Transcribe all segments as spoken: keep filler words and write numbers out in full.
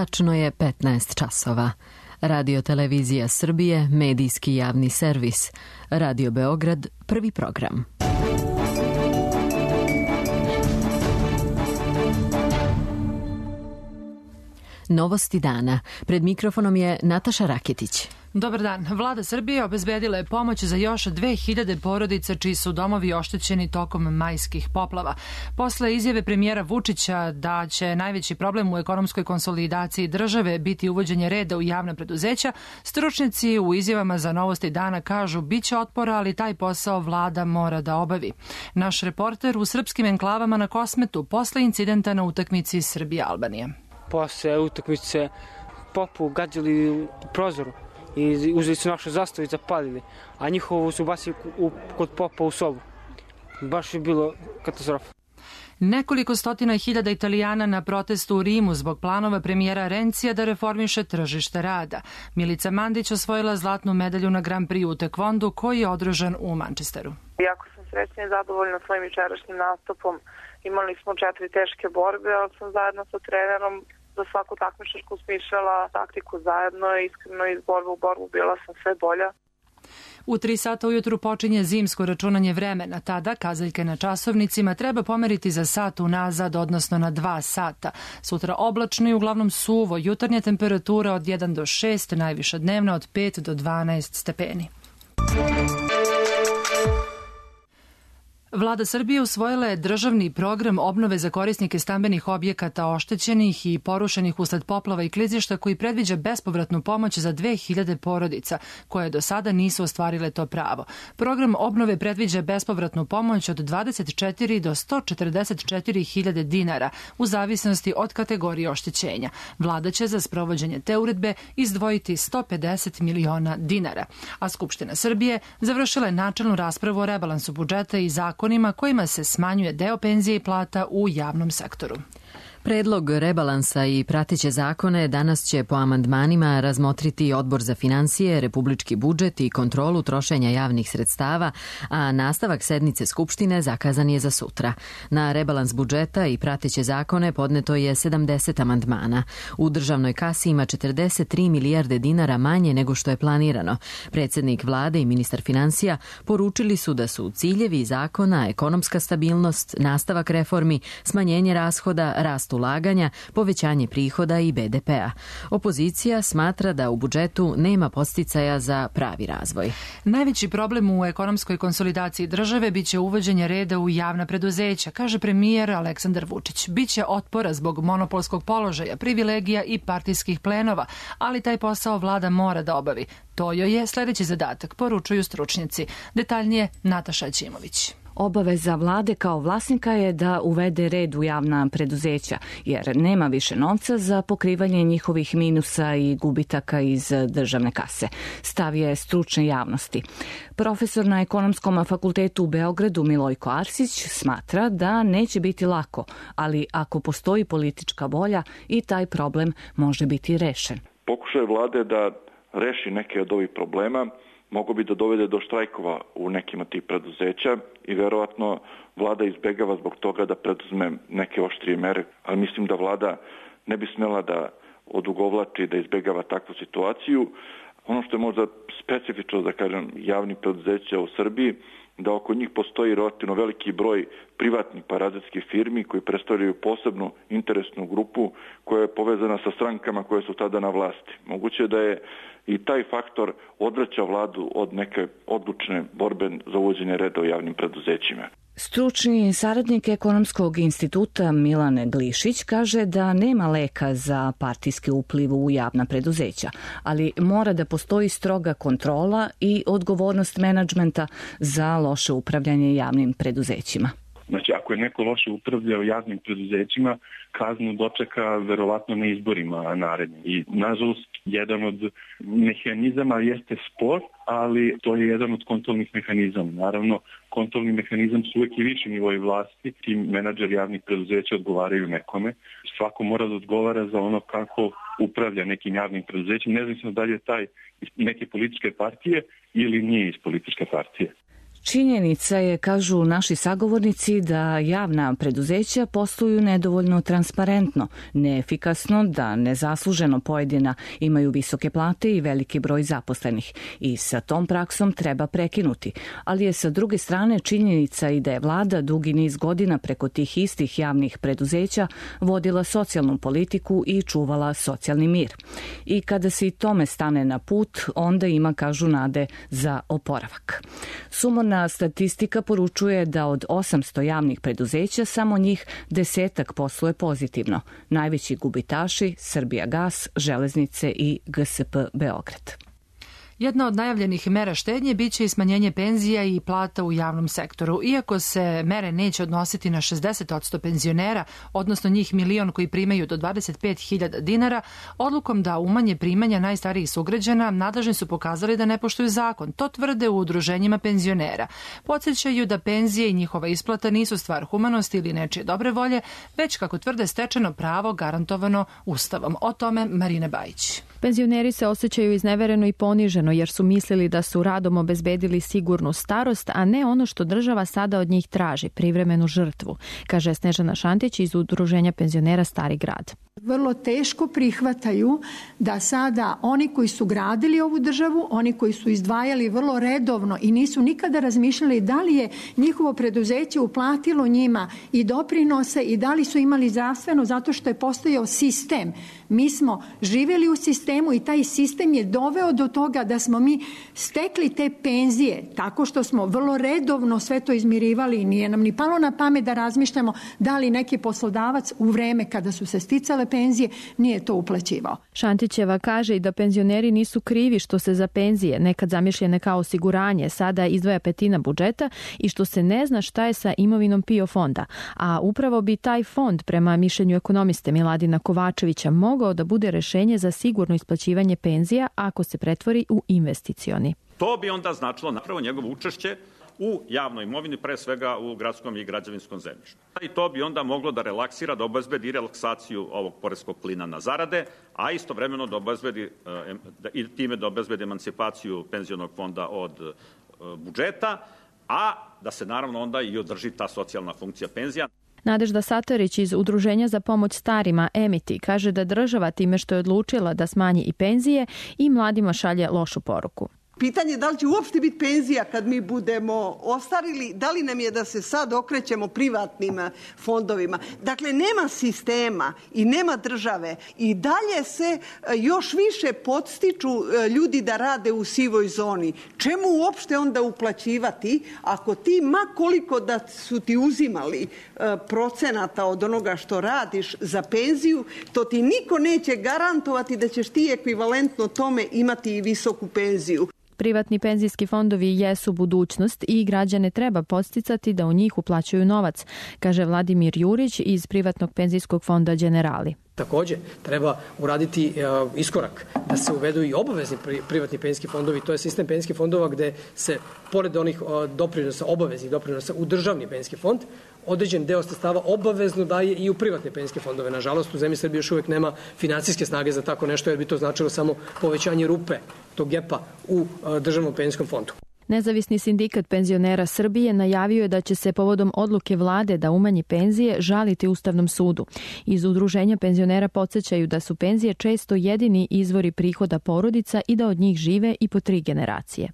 Tačno je petnaest časova. Radio Televizija Srbije, medijski javni servis. Radio Beograd, prvi program. Novosti dana. Pred mikrofonom je Nataša Raketić. Dobar dan. Vlada Srbije obezbedila je pomoć za još dve hiljade porodica čiji su domovi oštećeni tokom majskih poplava. Posle izjave premijera Vučića da će najveći problem u ekonomskoj konsolidaciji države biti uvođenje reda u javna preduzeća, stručnjaci u izjavama za Novosti dana kažu biće otpora, ali taj posao vlada mora da obavi. Naš reporter u srpskim enklavama na Kosmetu posle incidenta na utakmici Srbija-Albanija. Posle utakmice Popu gađali u prozoru i uzeli su našu zastavu i zapalili, a njihovu su basili u, kod Popa u sobu. Baš je bilo katastrofa. Nekoliko stotina hiljada Italijana na protestu u Rimu zbog planova premijera Rencija da reformiše tržište rada. Milica Mandić osvojila zlatnu medalju na Grand Prix u tekvondu koji je održan u Manchesteru. Jako sam srećna i zadovoljna svojim jučerašnjim nastupom. Imali smo četiri teške borbe, ali sam zajedno sa trenerom za svaku takmičarsku smišljala taktiku zajedno i iskreno iz borbe u borbu bila sam sve bolja. U tri sata ujutru počinje zimsko računanje vremena. Tada kazaljke na časovnicima treba pomeriti za sat unazad, odnosno na dva sata. Sutra oblačno i uglavnom suvo, jutarnja temperatura od jedan do šest, najviša dnevna od pet do dvanaest stepeni. Vlada Srbije usvojila je državni program obnove za korisnike stambenih objekata oštećenih i porušenih usled poplava i klizišta koji predviđa bespovratnu pomoć za dve hiljade porodica koje do sada nisu ostvarile to pravo. Program obnove predviđa bespovratnu pomoć od dvadeset četiri do sto četrdeset četiri hiljade dinara u zavisnosti od kategorije oštećenja. Vlada će za sprovođenje te uredbe izdvojiti sto pedeset miliona dinara. A Skupština Srbije završila je načelnu raspravu o rebalansu budžeta i zakonu kojima se smanjuje deo penzije i plata u javnom sektoru. Predlog rebalansa i prateće zakone danas će po amandmanima razmotriti Odbor za finansije, republički budžet i kontrolu trošenja javnih sredstava, a nastavak sednice Skupštine zakazan je za sutra. Na rebalans budžeta i prateće zakone podneto je sedamdeset amandmana. U državnoj kasi ima četrdeset tri milijarde dinara manje nego što je planirano. Predsjednik vlade i ministar finansija poručili su da su ciljevi zakona ekonomska stabilnost, nastavak reformi, smanjenje rashoda, rast ulaganja, povećanje prihoda i be de pea. Opozicija smatra da u budžetu nema podsticaja za pravi razvoj. Najveći problem u ekonomskoj konsolidaciji države biće uvođenje reda u javna preduzeća, kaže premijer Aleksandar Vučić. Biće otpora zbog monopolskog položaja, privilegija i partijskih plenova, ali taj posao vlada mora da obavi. To joj je sljedeći zadatak, poručuju stručnjaci. Detaljnije Nataša Ćimović. Obaveza vlade kao vlasnika je da uvede red u javna preduzeća, jer nema više novca za pokrivanje njihovih minusa i gubitaka iz državne kase. Stav je stručne javnosti. Profesor na Ekonomskom fakultetu u Beogradu Milojko Arsić smatra da neće biti lako, ali ako postoji politička volja i taj problem može biti rešen. Pokušaj vlade da reši neke od ovih problema mogu bi da dovede do štrajkova u nekim od tih preduzeća i verovatno vlada izbegava zbog toga da preduzme neke oštrije mere, ali mislim da vlada ne bi smela da odugovlači, da izbegava takvu situaciju. Ono što je možda specifično, da kažem, javnih preduzeća u Srbiji, da oko njih postoji relativno veliki broj privatnih parazitskih firmi koji predstavljaju posebnu interesnu grupu koja je povezana sa strankama koje su tada na vlasti. Moguće da je i taj faktor odvraća vladu od neke odlučne borbe za uvođenje reda u javnim preduzećima. Stručni saradnik Ekonomskog instituta Milan Glišić kaže da nema leka za partijski upliv u javna preduzeća, ali mora da postoji stroga kontrola i odgovornost menadžmenta za loše upravljanje javnim preduzećima. Znači, ako je neko loše upravljao javnim preduzećima, kaznu dočeka verovatno na izborima narednim. I, nažalost, jedan od mehanizama jeste spor, ali to je jedan od kontrolnih mehanizama. Naravno, kontrolni mehanizam su uvijek i viši nivoi vlasti. Ti menadžeri javnih preduzeća odgovaraju nekome. Svako mora da odgovara za ono kako upravlja nekim javnim preduzećem, nezavisno da li je taj iz neke političke partije ili nije iz političke partije. Činjenica je, kažu naši sagovornici, da javna preduzeća posluju nedovoljno transparentno, neefikasno, da nezasluženo pojedina imaju visoke plate i veliki broj zaposlenih. I sa tom praksom treba prekinuti. Ali je sa druge strane činjenica i da je vlada dugi niz godina preko tih istih javnih preduzeća vodila socijalnu politiku i čuvala socijalni mir. I kada se i tome stane na put, onda ima, kažu, nade za oporavak. Sumorna statistika poručuje da od osamsto javnih preduzeća samo njih desetak posluje pozitivno. Najveći gubitaši Srbijagas, Železnice i G S P Beograd. Jedna od najavljenih mera štednje biće i smanjenje penzija i plata u javnom sektoru. Iako se mere neće odnositi na šezdeset posto penzionera, odnosno njih milion koji primaju do dvadeset pet hiljada dinara, odlukom da umanje primanja najstarijih sugrađana, nadležni su pokazali da ne poštuju zakon. To tvrde u udruženjima penzionera. Podsjećaju da penzije i njihova isplata nisu stvar humanosti ili nečije dobre volje, već, kako tvrde, stečeno pravo garantovano Ustavom. O tome Marina Bajić. Penzioneri se osjećaju iznevereno i poniženo jer su mislili da su radom obezbedili sigurnu starost, a ne ono što država sada od njih traži, privremenu žrtvu, kaže Snežana Šantić iz Udruženja penzionera Stari grad. Vrlo teško prihvataju da sada oni koji su gradili ovu državu, oni koji su izdvajali vrlo redovno i nisu nikada razmišljali da li je njihovo preduzeće uplatilo njima i doprinose i da li su imali zdravstveno, zato što je postojao sistem. Mi smo živjeli u sistemu i taj sistem je doveo do toga da smo mi stekli te penzije tako što smo vrlo redovno sve to izmirivali i nije nam ni palo na pamet da razmišljamo da li neki poslodavac u vreme kada su se sticale penzije nije to uplaćivao. Šantićeva kaže i da penzioneri nisu krivi što se za penzije, nekad zamišljene kao osiguranje, sada izdvaja petina budžeta i što se ne zna šta je sa imovinom P I O fonda. A upravo bi taj fond, prema mišljenju ekonomiste Miladina Kovačevića, mogao da bude rešenje za sigurno isplaćivanje penzija ako se pretvori u investicioni. To bi onda značilo napravo njegovo učešće u javnoj imovini, pre svega u gradskom i građevinskom zemljištu. I to bi onda moglo da relaksira, da obezbedi relaksaciju ovog poreskog klina na zarade, a istovremeno da obezbedi, i time da obezbedi emancipaciju penzionog fonda od budžeta, a da se naravno onda i održi ta socijalna funkcija penzija. Nadežda Satarić iz Udruženja za pomoć starima Emiti kaže da država time što je odlučila da smanji i penzije i mladima šalje lošu poruku. Pitanje je da li će uopšte biti penzija kad mi budemo ostarili, da li nam je da se sad okrećemo privatnim fondovima. Dakle, nema sistema i nema države i dalje se još više podstiču ljudi da rade u sivoj zoni. Čemu uopšte onda uplaćivati ako ti, ma koliko da su ti uzimali procenata od onoga što radiš za penziju, to ti niko neće garantovati da ćeš ti ekvivalentno tome imati i visoku penziju. Privatni penzijski fondovi jesu budućnost i građane treba podsticati da u njih uplaćuju novac, kaže Vladimir Jurić iz privatnog penzijskog fonda Generali. Takođe, treba uraditi uh, iskorak da se uvedu i obavezni pri, privatni penzijski fondovi. To je sistem penzijskih fondova gde se, pored onih uh, doprinosa, obaveznih doprinosa u državni penzijski fond, određen deo sredstava obavezno daje i u privatne penzijske fondove. Nažalost, u zemlji Srbije još uvek nema finansijske snage za tako nešto, jer bi to značilo samo povećanje rupe, tog gepa u uh, državnom penzijskom fondu. Nezavisni sindikat penzionera Srbije najavio je da će se povodom odluke vlade da umanji penzije žaliti Ustavnom sudu. Iz Udruženja penzionera podsjećaju da su penzije često jedini izvori prihoda porodica i da od njih žive i po tri generacije.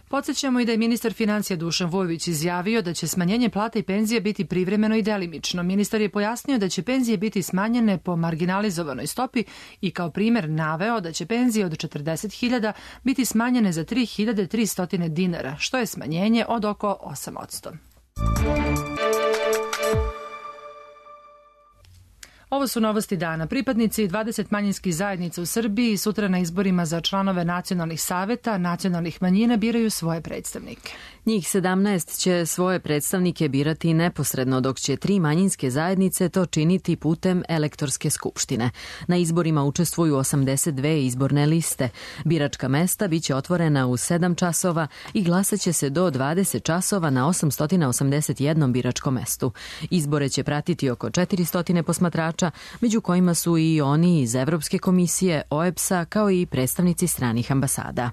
Podsjećamo i da je ministar financija Dušan Vujović izjavio da će smanjenje plata i penzije biti privremeno i delimično. Ministar je pojasnio da će penzije biti smanjene po marginalizovanoj stopi i kao primer naveo da će penzije od četrdeset hiljada biti smanjene za tri hiljade tristo dinara, što je smanjenje od oko osam posto. Ovo su novosti dana. Pripadnici dvadeset manjinskih zajednica u Srbiji sutra na izborima za članove nacionalnih saveta nacionalnih manjina biraju svoje predstavnike. Njih sedamnaest će svoje predstavnike birati neposredno, dok će tri manjinske zajednice to činiti putem elektorske skupštine. Na izborima učestvuju osamdeset dve izborne liste. Biračka mesta biće otvorena u sedam časova i glasaće se do dvadeset časova na osamsto osamdeset jednom biračkom mestu. Izbore će pratiti oko četiristo posmatrača, među kojima su i oni iz Evropske komisije, O E B S-a, kao i predstavnici stranih ambasada.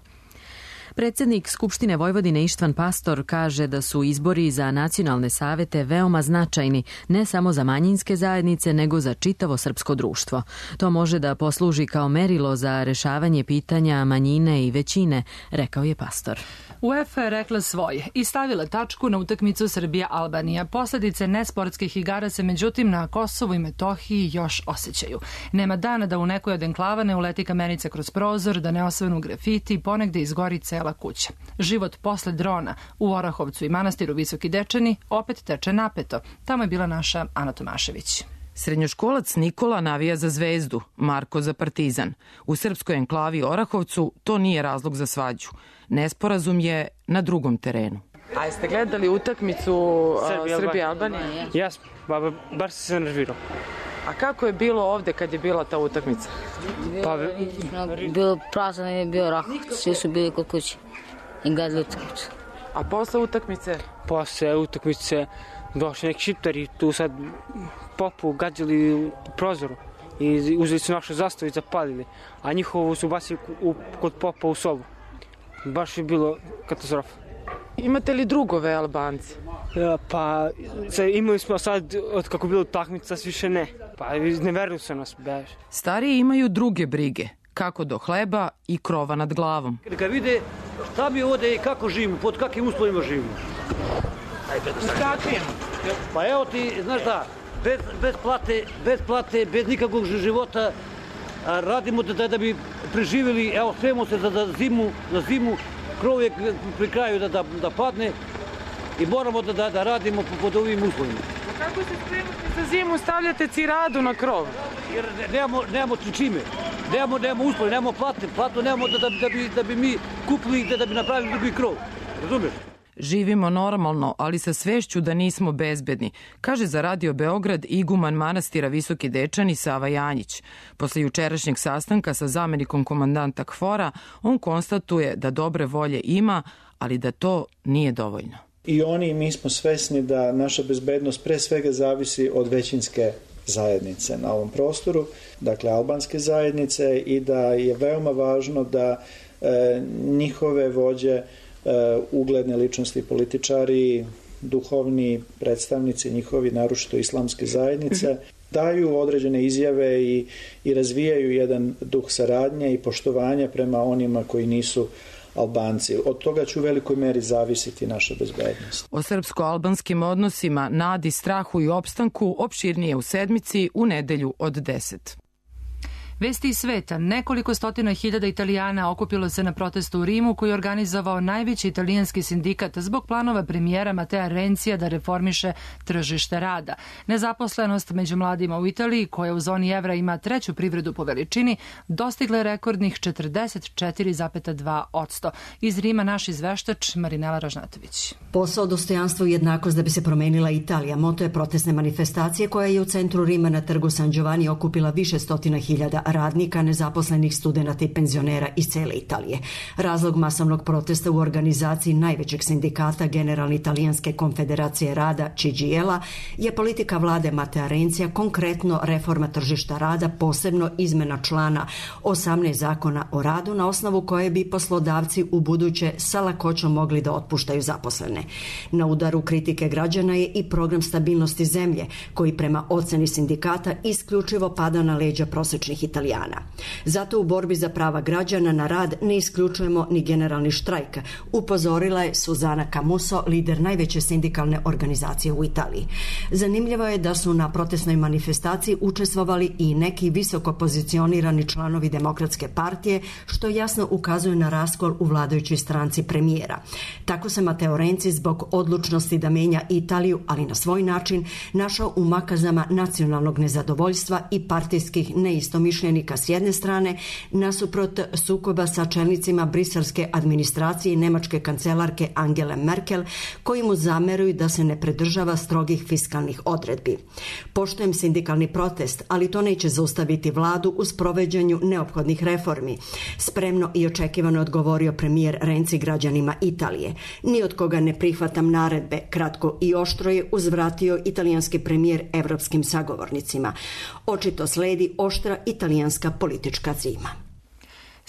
Predsjednik Skupštine Vojvodine Ištvan Pastor kaže da su izbori za nacionalne savete veoma značajni ne samo za manjinske zajednice, nego za čitavo srpsko društvo. To može da posluži kao merilo za rešavanje pitanja manjine i većine, rekao je Pastor. UEFA je rekla svoje i stavila tačku na utakmicu Srbija-Albanija. Posledice nesportskih igara se međutim na Kosovu i Metohiji još osjećaju. Nema dana da u nekoj od enklava ne uleti kamenica kroz prozor, da ne osvanu grafiti i ponegde izgori cela kuća. Život posle drona u Orahovcu i manastiru Visoki Dečani opet teče napeto. Tamo je bila naša Ana Tomašević. Srednjoškolac Nikola navija za Zvezdu, Marko za Partizan. U srpskoj enklavi Orahovcu to nije razlog za svađu. Nesporazum je na drugom terenu. A jeste gledali utakmicu Srbije-Albanije? Jesmo, ba, bar sam se nervirao. A kako je bilo ovde kad je bila ta utakmica? Pa, bilo prazno je bio Orahovac, svi su bili kod kuće i gledali utakmicu. A posle utakmice? Posle utakmice došli neki šiptari, tu sad popu gađali u prozoru i uzeli su našu zastavu i zapalili, a njihovu su bacili u, kod popa u sobu. Baš je bilo katastrofa. Imate li drugove Albanci? Ja, pa imali smo sad, od kako je bilo utakmica, više ne. Pa ne veruju se nas, bež. Stariji imaju druge brige, kako do hleba i krova nad glavom. Kad vide šta mi ovde i kako živimo, pod kakvim uslovima živimo. Pa evo ti, znaš da, bez, bez, plate, bez plate, bez nikakvog života, a radimo da, da bi preživjeli, evo spremamo se za, za zimu, za zimu, krov je pri kraju da, da, da padne i moramo da, da, da radimo pod ovim uslovima. A kako se spremate za zimu, stavljate ciradu na krov? Jer nemamo, nemamo čime, nemamo, nemamo uslove, nemamo plate, platu nemamo da, da, da, bi, da bi mi kupili, da, da bi napravili drugi krov, razumiješ? Živimo normalno, ali sa svešću da nismo bezbedni, kaže za Radio Beograd iguman manastira Visoki Dečani Sava Janjić. Posle jučerašnjeg sastanka sa zamenikom komandanta KFOR-a, on konstatuje da dobre volje ima, ali da to nije dovoljno. I oni i mi smo svesni da naša bezbednost pre svega zavisi od većinske zajednice na ovom prostoru, dakle albanske zajednice, i da je veoma važno da e, njihove vođe, ugledne ličnosti, političari, duhovni predstavnici njihovi, naročito islamske zajednice, daju određene izjave i, i razvijaju jedan duh saradnje i poštovanja prema onima koji nisu Albanci. Od toga će u velikoj meri zavisiti naša bezbednost. O srpsko-albanskim odnosima, nadi, strahu i opstanku opširnije u sedmici u nedelju od deset. Vesti iz sveta. Nekoliko stotina hiljada Italijana okupilo se na protestu u Rimu koji je organizovao najveći italijanski sindikat zbog planova premijera Matea Renzija da reformiše tržište rada. Nezaposlenost među mladima u Italiji, koja u zoni evra ima treću privredu po veličini, dostigla je rekordnih četrdeset četiri zarez dva posto. Iz Rima naš izveštač Marinela Ražnatović. Posao, dostojanstvo i jednakost da bi se promenila Italija. Moto je protestne manifestacije koja je u centru Rima na trgu San Giovanni okupila više stotina hiljada radnika, nezaposlenih, studenata i penzionera iz cele Italije. Razlog masovnog protesta u organizaciji najvećeg sindikata Generalne italijanske konfederacije rada C G L-a je politika vlade Matea Renzija, konkretno reforma tržišta rada, posebno izmena člana osamnaest zakona o radu na osnovu koje bi poslodavci u buduće sa lakoćom mogli da otpuštaju zaposlene. Na udaru kritike građana je i program stabilnosti zemlje, koji prema oceni sindikata isključivo pada na leđa prosečnih Italijana. Zato u borbi za prava građana na rad ne isključujemo ni generalni štrajk, upozorila je Suzana Camuso, lider najveće sindikalne organizacije u Italiji. Zanimljivo je da su na protestnoj manifestaciji učestvovali i neki visoko pozicionirani članovi Demokratske partije, što jasno ukazuje na raskol u vladajućoj stranci premijera. Tako se Matteo Renzi zbog odlučnosti da menja Italiju, ali na svoj način, našao u makazama nacionalnog nezadovoljstva i partijskih neistomišljenika s jedne strane, nasuprot sukoba sa čelnicima briselske administracije i nemačke kancelarke Angele Merkel, koji mu zameruju da se ne pridržava strogih fiskalnih odredbi. Poštujem sindikalni protest, ali to neće zaustaviti vladu u sprovođenju neophodnih reformi. Spremno i očekivano odgovorio premijer Renzi građanima Italije. Ni od koga ne prihvatam naredbe, kratko i oštro je uzvratio italijanski premijer evropskim sagovornicima. Očito sledi oštra italijanska politička zima.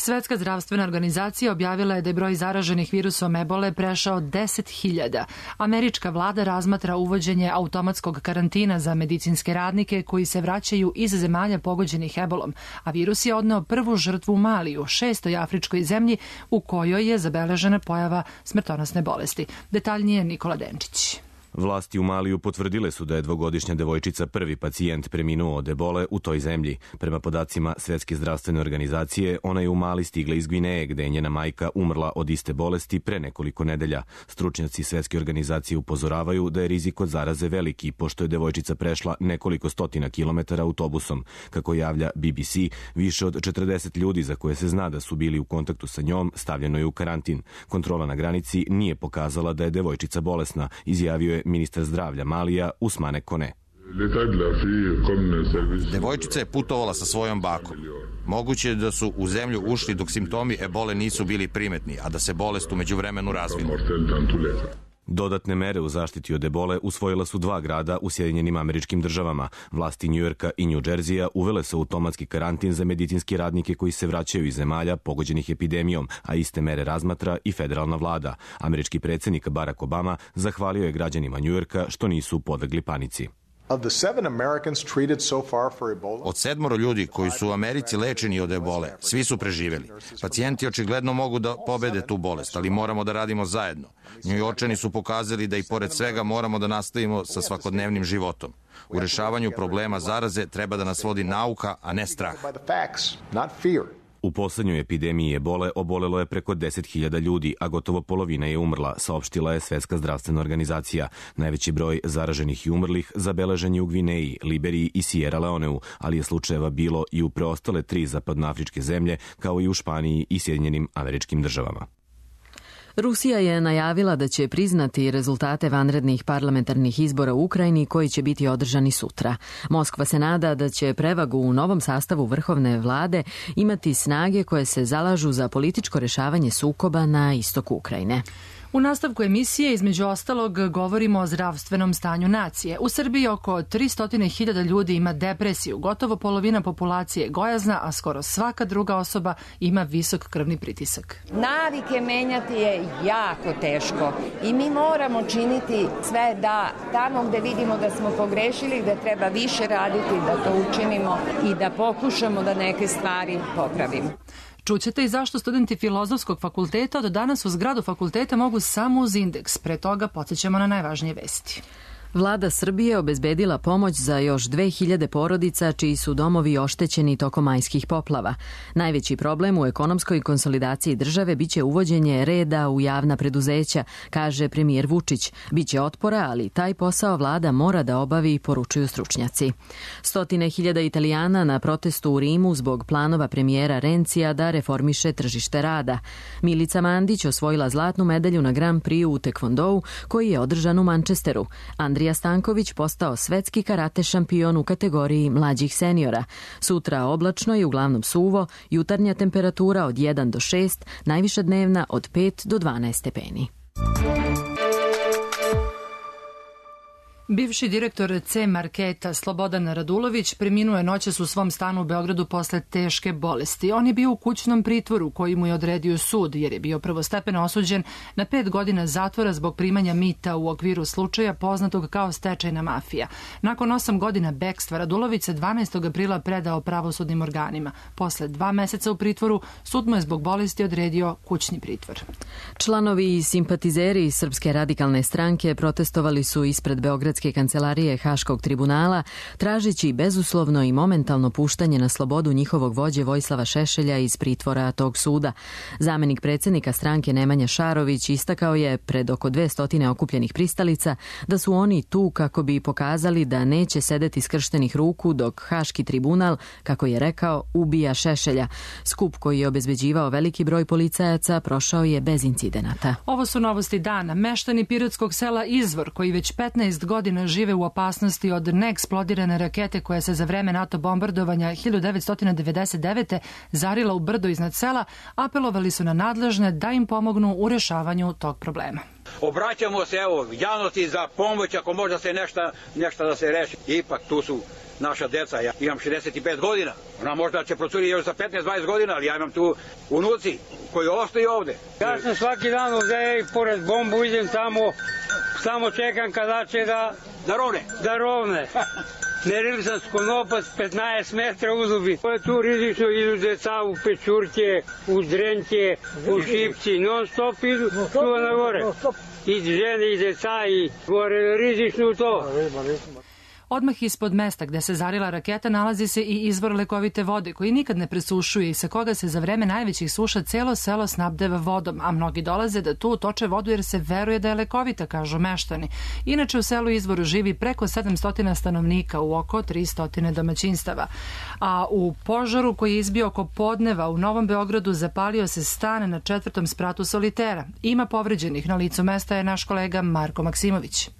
Svetska zdravstvena organizacija objavila je da je broj zaraženih virusom ebole prešao deset hiljada. Američka vlada razmatra uvođenje automatskog karantina za medicinske radnike koji se vraćaju iz zemalja pogođenih ebolom, a virus je odneo prvu žrtvu u Maliju, šestoj afričkoj zemlji u kojoj je zabeležena pojava smrtonosne bolesti. Detaljnije Nikola Denčić. Vlasti u Maliju potvrdile su da je dvogodišnja devojčica prvi pacijent preminuo od ebole u toj zemlji. Prema podacima Svetske zdravstvene organizacije, ona je u Mali stigla iz Gvineje, gde je njena majka umrla od iste bolesti pre nekoliko nedelja. Stručnjaci Svetske organizacije upozoravaju da je rizik od zaraze veliki, pošto je devojčica prešla nekoliko stotina kilometara autobusom. Kako javlja B B C, više od četrdeset ljudi za koje se zna da su bili u kontaktu sa njom stavljeno je u karantin. Kontrola na granici nije pokazala da je devojčica bolesna, izjavio je ministar zdravlja Malija Usmane Kone. Devojčica je putovala sa svojom bakom. Moguće je da su u zemlju ušli dok simptomi ebole nisu bili primetni, a da se bolest u međuvremenu razvila. Dodatne mere u zaštiti od ebole usvojila su dva grada u Sjedinjenim Američkim Državama. Vlasti Njujorka i New Jersey-a uvele su automatski karantin za medicinske radnike koji se vraćaju iz zemalja pogođenih epidemijom, a iste mere razmatra i federalna vlada. Američki predsjednik Barack Obama zahvalio je građanima Njujorka što nisu podlegli panici. Od sedmoro ljudi koji su u Americi lečeni od ebole, svi su preživeli. Pacijenti očigledno mogu da pobede tu bolest, ali moramo da radimo zajedno. Njujorčani su pokazali da i pored svega moramo da nastavimo sa svakodnevnim životom. U rešavanju problema zaraze treba da nas vodi nauka, a ne strah. U poslednjoj epidemiji ebole obolelo je preko deset hiljada ljudi, a gotovo polovina je umrla, saopštila je Svetska zdravstvena organizacija. Najveći broj zaraženih i umrlih zabeležen je u Gvineji, Liberiji i Sierra Leoneu, ali je slučajeva bilo i u preostale tri zapadnoafričke zemlje, kao i u Španiji i Sjedinjenim Američkim Državama. Rusija je najavila da će priznati rezultate vanrednih parlamentarnih izbora u Ukrajini koji će biti održani sutra. Moskva se nada da će prevagu u novom sastavu vrhovne vlade imati snage koje se zalažu za političko rešavanje sukoba na istoku Ukrajine. U nastavku emisije, između ostalog, govorimo o zdravstvenom stanju nacije. U Srbiji oko tristo hiljada ljudi ima depresiju, gotovo polovina populacije je gojazna, a skoro svaka druga osoba ima visok krvni pritisak. Navike menjati je jako teško i mi moramo činiti sve da tamo gde vidimo da smo pogrešili, da treba više raditi, da to učinimo i da pokušamo da neke stvari popravimo. Čućete i zašto studenti Filozofskog fakulteta od danas u zgradu fakulteta mogu samo uz indeks. Pre toga podsjećamo na najvažnije vesti. Vlada Srbije obezbedila pomoć za još dve hiljade porodica čiji su domovi oštećeni tokom majskih poplava. Najveći problem u ekonomskoj konsolidaciji države biće uvođenje reda u javna preduzeća, kaže premijer Vučić. Biće otpora, ali taj posao vlada mora da obavi, poručuju stručnjaci. Stotine hiljada Italijana na protestu u Rimu zbog planova premijera Rencija da reformiše tržište rada. Milica Mandić osvojila zlatnu medalju na Grand Prix u tekvondou koji je održan u Manchesteru. Andrija Stanković postao svetski karate šampion u kategoriji mlađih seniora. Sutra oblačno i uglavnom suvo, jutarnja temperatura od jedan do šest, najviša dnevna od pet do dvanaest stepeni. Bivši direktor C Marketa Slobodan Radulović preminuo je noćas u svom stanu u Beogradu posle teške bolesti. On je bio u kućnom pritvoru koji mu je odredio sud jer je bio prvostepeno osuđen na pet godina zatvora zbog primanja mita u okviru slučaja poznatog kao stečajna mafija. Nakon osam godina bekstva Radulović se dvanaestog aprila predao pravosudnim organima. Posle dva meseca u pritvoru sud mu je zbog bolesti odredio kućni pritvor. Članovi i simpatizeri Srpske radikalne stranke protestovali su ispred Beogradske kancelarije Haškog tribunala, tražeći bezuslovno i momentalno puštanje na slobodu njihovog vođe Vojislava Šešelja iz pritvora tog suda. Zamenik predsjednika stranke Nemanja Šarović istakao je pred oko dve stotine okupljenih pristalica da su oni tu kako bi pokazali da neće sedeti skrštenih ruku dok Haški tribunal, kako je rekao, ubija Šešelja. Skup koji je obezbeđivao veliki broj policajaca prošao je bez incidenata. Ovo su novosti dana. Meštani pirotskog sela Izvor, koji već petnaest godina žive u opasnosti od neeksplodirane rakete koja se za vreme NATO bombardovanja hiljadu devetsto devedeset devete. zarila u brdo iznad sela, apelovali su na nadležne da im pomognu u rešavanju tog problema. Obraćamo se evo javnosti za pomoć ako možda se nešto, nešto da se reši. Ipak tu su naša deca. Ja imam šezdeset pet godina, ona možda će procuriti još za petnaest dvadeset godina, ali ja imam tu unuci koji ostaju ovde. Ja sam svaki dan ovde i pored bombu idem tamo, samo čekam kada će da... Da rovne? Da rovne. Nerili sam skonopac petnaest metra uzubi. To je tu rizično, idu deca u pečurke, u drenke, u šipci, non stop idu tu na gore. I žene i deca i gore rizično to. Odmah ispod mesta gde se zarila raketa nalazi se i izvor lekovite vode koji nikad ne presušuje i sa koga se za vreme najvećih suša celo selo snabdeva vodom, a mnogi dolaze da tu toče vodu jer se veruje da je lekovita, kažu meštani. Inače u selu Izvoru živi preko sedamsto stanovnika u oko tristo domaćinstava. A u požaru koji je izbio oko podneva u Novom Beogradu zapalio se stan na četvrtom spratu solitera. Ima povređenih, na licu mesta je naš kolega Marko Maksimović.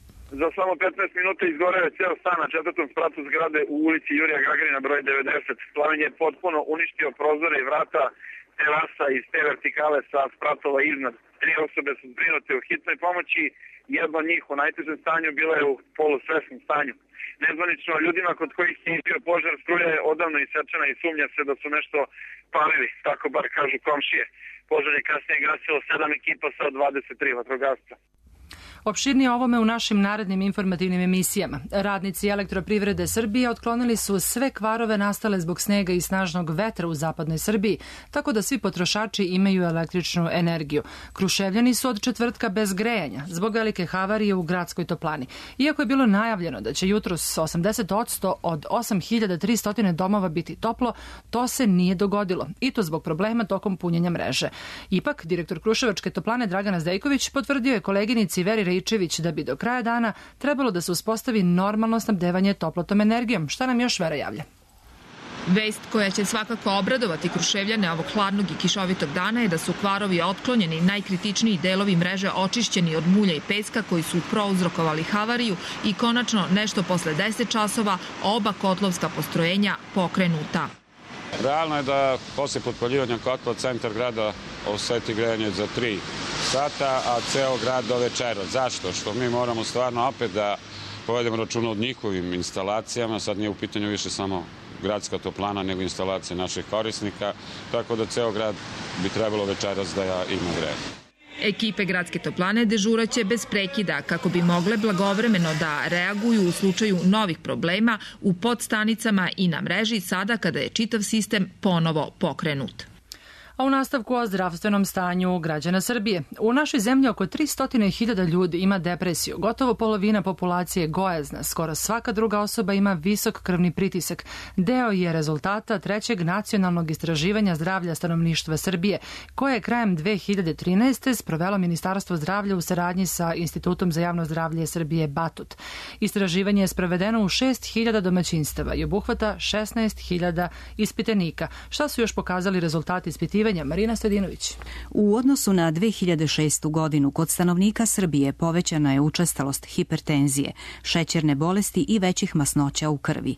Za samo petnaest minuta izgoreo je ceo stan na četvrtom spratu zgrade u ulici Jurija Gagarina broj devedeset. Plamen je potpuno uništio prozore i vrata terasa iz te vertikale sa spratova iznad. Tri osobe su zbrinute u hitnoj pomoći, jedna od njih u najtežem stanju bila je u polusvesnom stanju. Nezvanično ljudima kod kojih je izbio požar struja je odavno isečena i sumnja se da su nešto palili, tako bar kažu komšije. Požar je kasnije gasilo sedam ekipa sa dvadeset tri vatrogasca. Opširnije ovome u našim narednim informativnim emisijama. Radnici Elektroprivrede Srbije otklonili su sve kvarove nastale zbog snega i snažnog vetra u zapadnoj Srbiji, tako da svi potrošači imaju električnu energiju. Kruševljani su od četvrtka bez grejanja zbog velike havarije u gradskoj toplani. Iako je bilo najavljeno da će jutros osamdeset posto od osam hiljada tristo domova biti toplo, to se nije dogodilo i to zbog problema tokom punjenja mreže. Ipak, direktor Kruševačke toplane Dragana Zdejković potvrdio je koleginici Veri Ričević da bi do kraja dana trebalo da se uspostavi normalno snabdevanje toplotom energijom. Šta nam još Vera javlja? Vest koja će svakako obradovati Kruševljane ovog hladnog i kišovitog dana je da su kvarovi otklonjeni, najkritičniji delovi mreže očišćeni od mulja i peska koji su prouzrokovali havariju i konačno nešto posle deset časova oba kotlovska postrojenja pokrenuta. Realno je da posle potpaljivanja kotla centar grada oseti grejanje za tri sata, a ceo grad do večera. Zašto? Što mi moramo stvarno opet da povedemo računa od njihovim instalacijama. Sad nije u pitanju više samo gradska toplana, nego instalacije naših korisnika, tako da ceo grad bi trebalo večeras da ima grejanje. Ekipe gradske toplane dežuraće bez prekida kako bi mogle blagovremeno da reaguju u slučaju novih problema u podstanicama i na mreži sada kada je čitav sistem ponovo pokrenut. A u nastavku o zdravstvenom stanju građana Srbije. U našoj zemlji oko tristo hiljada ljudi ima depresiju. Gotovo polovina populacije je gojazna. Skoro svaka druga osoba ima visok krvni pritisak. Deo je rezultata trećeg nacionalnog istraživanja zdravlja stanovništva Srbije, koje je krajem dve hiljade trinaeste. sprovelo Ministarstvo zdravlja u saradnji sa Institutom za javno zdravlje Srbije Batut. Istraživanje je sprovedeno u šest hiljada domaćinstava i obuhvata šesnaest hiljada ispitanika. Šta su još pokazali rezultati ispitivanja? Marina Stedinović. U odnosu na dve hiljade šestu godinu kod stanovnika Srbije povećana je učestalost hipertenzije, šećerne bolesti i većih masnoća u krvi.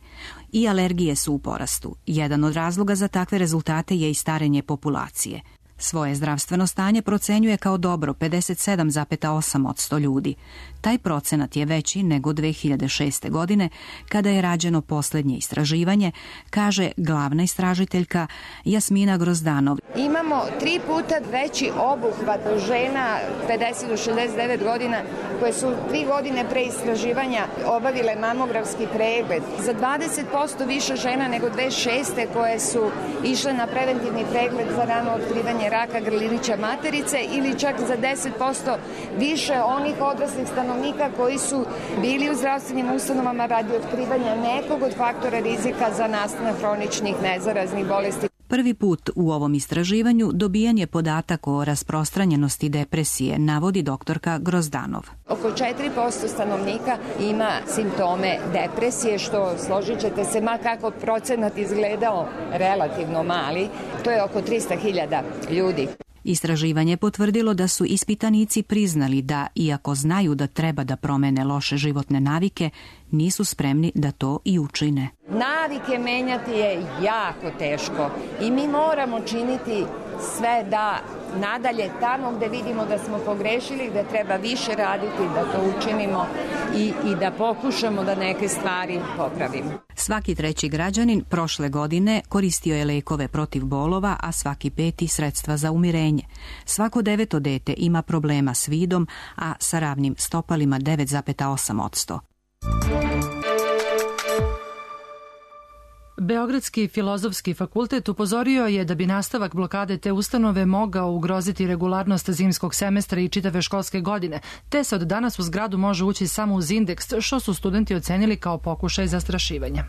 I alergije su u porastu. Jedan od razloga za takve rezultate je i starenje populacije. Svoje zdravstveno stanje procenjuje kao dobro pedeset sedam zarez osam posto ljudi. Taj procenat je veći nego dve hiljade šeste. godine, kada je rađeno poslednje istraživanje, kaže glavna istražiteljka Jasmina Grozdanov. Imamo tri puta veći obuhvat žena pedeset do šezdeset devet godina koje su tri godine pre istraživanja obavile mamografski pregled. Za dvadeset posto više žena nego dve hiljade šeste. koje su išle na preventivni pregled za rano otkrivanje raka grlića materice ili čak za deset posto više onih odraslih stanovnika koji su bili u zdravstvenim ustanovama radi otkrivanja nekog od faktora rizika za nastanak hroničnih nezaraznih bolesti. Prvi put u ovom istraživanju dobijan je podatak o rasprostranjenosti depresije, navodi doktorka Grozdanov. Oko četiri posto stanovnika ima simptome depresije, što, složit ćete se, ma kako procenat izgledao relativno mali, to je oko trista hiljada ljudi. Istraživanje je potvrdilo da su ispitanici priznali da, iako znaju da treba da promene loše životne navike, nisu spremni da to i učine. Navike menjati je jako teško i mi moramo činiti sve da nadalje tamo gde vidimo da smo pogrešili, da treba više raditi, da to učinimo i, i da pokušamo da neke stvari popravimo. Svaki treći građanin prošle godine koristio je lekove protiv bolova, a svaki peti sredstva za umirenje. Svako deveto dete ima problema s vidom, a sa ravnim stopalima devet zarez osam posto. Beogradski filozofski fakultet upozorio je da bi nastavak blokade te ustanove mogao ugroziti regularnost zimskog semestra i čitave školske godine, te se od danas u zgradu može ući samo uz indeks, što su studenti ocenili kao pokušaj zastrašivanja.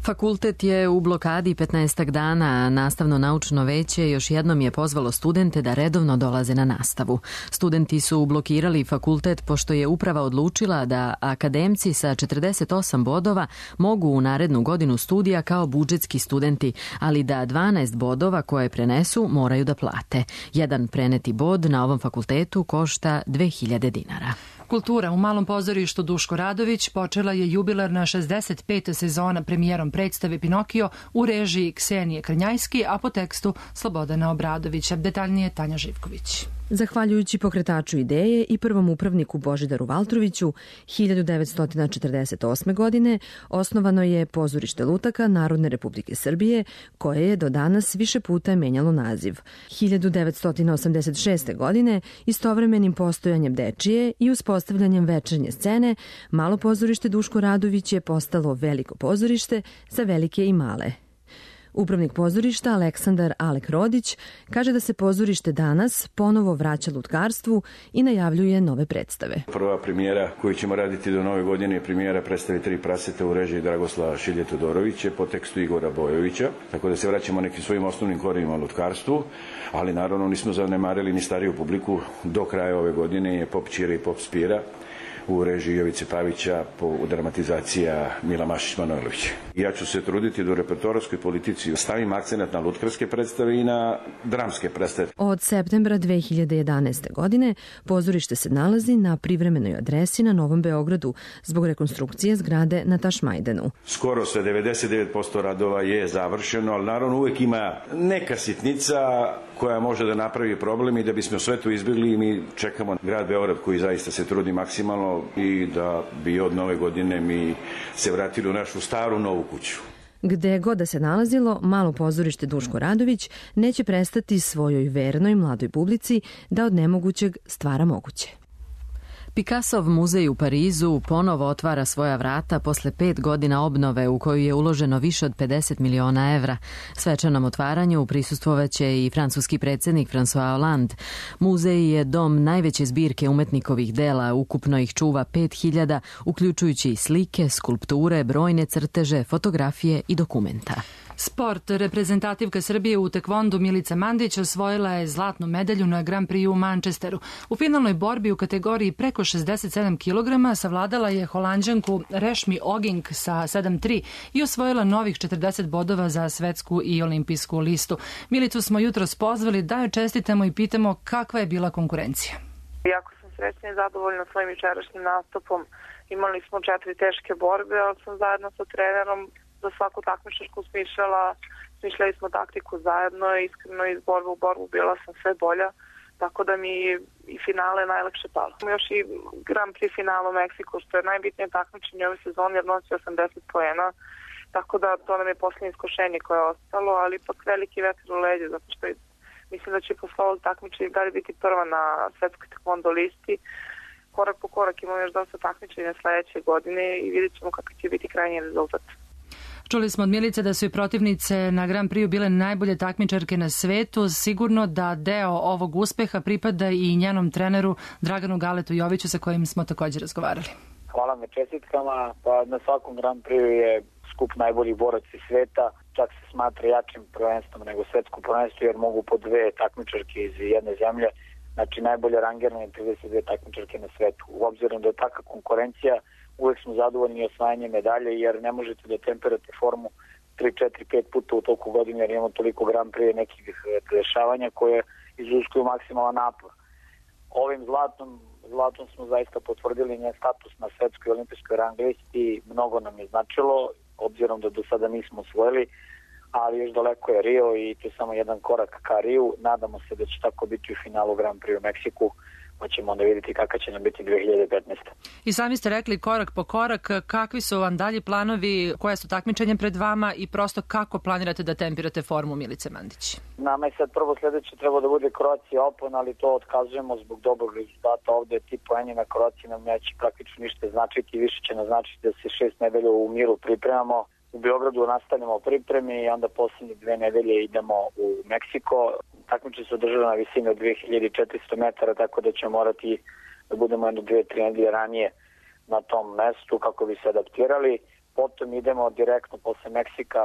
Fakultet je u blokadi petnaestak dana, a nastavno-naučno veće još jednom je pozvalo studente da redovno dolaze na nastavu. Studenti su blokirali fakultet pošto je uprava odlučila da akademci sa četrdeset osam bodova mogu u narednu godinu studija kao budžetski studenti, ali da dvanaest bodova koje prenesu moraju da plate. Jedan preneti bod na ovom fakultetu košta dve hiljade dinara. Kultura u Malom pozorištu Duško Radović počela je jubilarna šezdeset peta sezona premijerom predstave Pinokio u režiji Ksenije Krnjajski, a po tekstu Slobodana Obradovića. Detaljnije Tanja Živković. Zahvaljujući pokretaču ideje i prvom upravniku Božidaru Valtroviću, hiljadu devetsto četrdeset osme. godine osnovano je Pozorište lutaka Narodne Republike Srbije, koje je do danas više puta menjalo naziv. hiljadu devetsto osamdeset šeste. godine istovremenim postojanjem dečije i uspostavljanjem večernje scene, Malo pozorište Duško Radović je postalo Veliko pozorište za velike i male. Upravnik pozorišta Aleksandar Alek Rodić kaže da se pozorište danas ponovo vraća lutkarstvu i najavljuje nove predstave. Prva premijera koju ćemo raditi do nove godine je premijera predstave Tri praseta u režiji Dragoslava Šilje Todorovića po tekstu Igora Bojovića, tako da se vraćamo nekim svojim osnovnim korenima lutkarstvu, ali naravno nismo zanemarili ni stariju publiku. Do kraja ove godine je Pop Ćira i Pop Spira u režiji Jovice Pavića po dramatizacija Mila Mašić-Manojlović. Ja ću se truditi da u repertoarskoj politici stavim akcenat na lutkarske predstave i na dramske predstave. Od septembra dve hiljade jedanaeste. godine pozorište se nalazi na privremenoj adresi na Novom Beogradu zbog rekonstrukcije zgrade na Tašmajdenu. Skoro sve devedeset devet posto radova je završeno, ali naravno uvek ima neka sitnica koja može da napravi problem i da bismo sve to izbjegli, mi čekamo grad Beograd koji zaista se trudi maksimalno i da bi od nove godine mi se vratili u našu staru novu kuću. Gde god da se nalazilo, Malo pozorište Duško Radović neće prestati svojoj vernoj mladoj publici da od nemogućeg stvara moguće. Picassov muzej u Parizu ponovo otvara svoja vrata posle pet godina obnove u koju je uloženo više od pedeset miliona evra. Svečanom otvaranju prisustvovaće i francuski predsjednik François Hollande. Muzej je dom najveće zbirke umetnikovih dela, ukupno ih čuva pet hiljada, uključujući slike, skulpture, brojne crteže, fotografije i dokumenta. Sport. Reprezentativka Srbije u tekvondu Milica Mandić osvojila je zlatnu medalju na Grand Prix u Manchesteru. U finalnoj borbi u kategoriji preko šezdeset sedam kilograma savladala je Holanđanku Rešmi Oging sa sedam tri i osvojila novih četrdeset bodova za svetsku i olimpijsku listu. Milicu smo jutros pozvali da joj čestitamo i pitamo kakva je bila konkurencija. Jako sam srećna i zadovoljna svojim jučerašnjim nastupom. Imali smo četiri teške borbe, ali sam zajedno sa trenerom za svaku takmičarsku smišljala, smišljali smo taktiku zajedno, iskreno iz borbe u borbu bila sam sve bolja, tako da mi i finale najlakše palo. Još i Grand Prix finala u Meksiku, što je najbitnije takmičenje ove sezone, jer nosi osamdeset poena, tako da to nam je posljednje iskušenje koje je ostalo, ali ipak veliki vetar u leđe, zato što je, mislim da će posle ovog takmičenja dalje biti prva na svetskoj tekvondo listi. Korak po korak imamo još dosta takmičenja sledeće godine i vidjet ćemo kakav će biti krajnji rezultat. Čuli smo od Milice da su i protivnice na Grand Prixu bile najbolje takmičarke na svetu. Sigurno da deo ovog uspeha pripada i njenom treneru Draganu Galetu Joviću sa kojim smo također razgovarali. Hvala na čestitkama. Pa na svakom Grand Prixu je skup najboljih boraca sveta. Čak se smatra jačim prvenstvom nego svetsko prvenstvo jer mogu po dve takmičarke iz jedne zemlje. Znači najbolje rangirane trideset dve takmičarke na svetu. U obzirom da je taka konkurencija, uvek smo zadovoljni osvajanjem medalje jer ne možete da temperate formu tri, četiri, pet puta u toku godine jer imamo toliko Grand Prix nekih dešavanja koje izuskuju maksimalan napor. Ovim zlatom, zlatom smo zaista potvrdili njen status na svetskoj olimpijskoj rang listi, mnogo nam je značilo, obzirom da do sada nismo osvojili. ali još daleko je Rio i to je samo jedan korak ka Riju. Nadamo se da će tako biti u finalu Grand Prix u Meksiku, pa ćemo onda vidjeti kakva će nam biti dve hiljade petnaeste. I sami ste rekli korak po korak, kakvi su vam dalji planovi, koje su takmičenje pred vama i prosto kako planirate da tempirate formu Milice Mandić? Nama je sad prvo sledeće treba da bude Croatia Open, ali to otkazujemo zbog dobrog rezultata. Ovde ti poeni na Croatia nam neće praktično ništa značiti, više će naznačiti da se šest nedelja u miru pripremamo. U Beogradu nastavljamo pripremi i onda posljednje dve nedelje idemo u Meksiko. Takmičenje se održava na visini od dve hiljade četiristo metara, tako da ćemo morati da budemo jedno dve, tri nedelje ranije na tom mestu kako bi se adaptirali. Potom idemo direktno posle Meksika,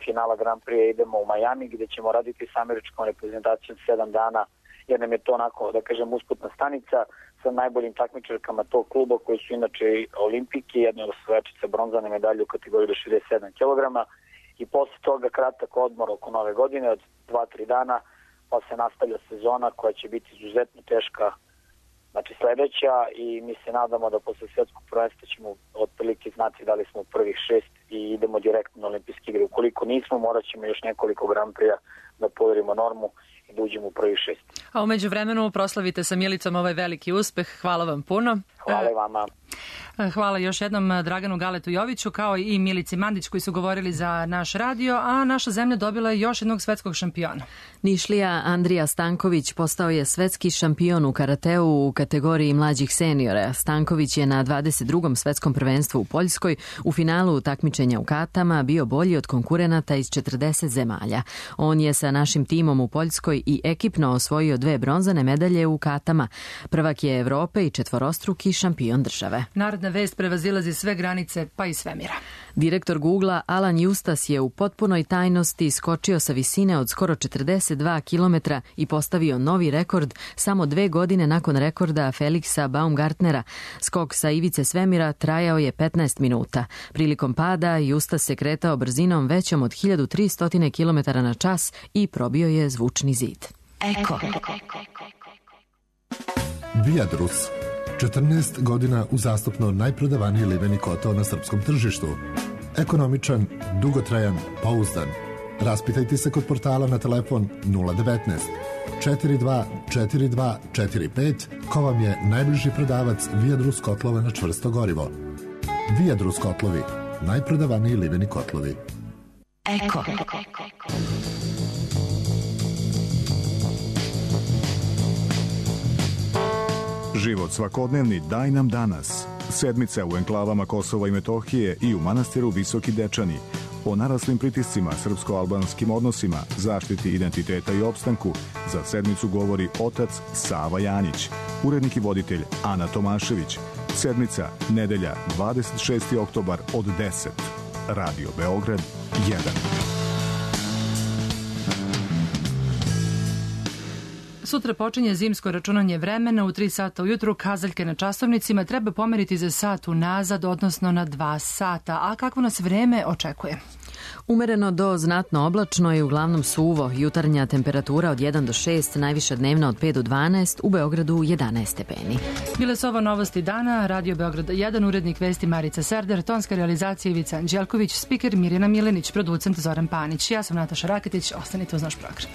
finala Grand Prix, idemo u Miami gde ćemo raditi s američkom reprezentacijom sedam dana, jer nam je to onako, da kažem, usputna stanica sa najboljim takmičarkama tog kluba koji su inače olimpijki, jedna od osvajačica bronzane medalje u kategoriji do šezdeset sedam kilograma i posle toga kratak odmor oko nove godine od dva tri dana, pa se nastavlja sezona koja će biti izuzetno teška, znači sledeća, i mi se nadamo da posle svetskog prvenstva ćemo otprilike znati da li smo u prvih šest i idemo direktno na olimpijske igre. Ukoliko nismo, morat ćemo još nekoliko Grand Prix da poverimo normu i da uđemo u prvih šest. A umeđu vremenu proslavite sa Milicom ovaj veliki uspeh. Hvala vam puno. Hvala i vama. Hvala još jednom Draganu Galetu Joviću kao i Milici Mandić koji su govorili za naš radio, a naša zemlja dobila je još jednog svetskog šampiona. Nišlija Andrija Stanković postao je svetski šampion u karateu u kategoriji mlađih seniora. Stanković je na dvadeset drugom svetskom prvenstvu u Poljskoj u finalu takmičenja u katama bio bolji od konkurenata iz četrdeset zemalja. On je sa našim timom u Poljskoj i ekipno osvojio dve bronzane medalje u katama. Prvak je Evrope i četvorostruki šampion države. Narodna vest prevazilazi sve granice, pa i svemira. Direktor Googlea Alan Justas je u potpunoj tajnosti skočio sa visine od skoro četrdeset dva kilometra i postavio novi rekord samo dve godine nakon rekorda Felixa Baumgartnera. Skok sa ivice svemira trajao je petnaest minuta. Prilikom pada Justas se kretao brzinom većom od hiljadu tristo kilometara na čas i probio je zvučni zid. Eko. Viadrus. četrnaest godina uzastopno najprodavaniji liveni kotao na srpskom tržištu. Ekonomičan, dugotrajan, pouzdan. Raspitajte se kod portala na telefon nula devetnaest četiri dva četiri dva četiri pet ko vam je najbliži prodavac Viadrus kotlova na čvrsto gorivo. Viadrus kotlovi, najprodavaniji liveni kotlovi. Eko. Život svakodnevni daj nam danas. Sedmica u enklavama Kosova i Metohije i u manastiru Visoki Dečani. O naraslim pritiscima, srpsko-albanskim odnosima, zaštiti identiteta i opstanku za sedmicu govori otac Sava Janjić, urednik i voditelj Ana Tomašević. Sedmica, nedelja, dvadeset šesti oktobar od deset. Radio Beograd jedan. Sutra počinje zimsko računanje vremena u tri sata ujutru. Kazaljke na časovnicima treba pomeriti za sat unazad, odnosno na dva sata. A kakvo nas vreme očekuje? Umereno do znatno oblačno i uglavnom suvo. Jutarnja temperatura od jedan do šest, najviša dnevna od pet do dvanaest, u Beogradu jedanaest stepeni. Bile su ovo novosti dana, Radio Beograd jedan, urednik vesti Marica Serder, tonska realizacija Ivica Anđelković, spiker Mirjana Milenić, producent Zoran Panić. Ja sam Nataša Raketić, ostanite uz naš program.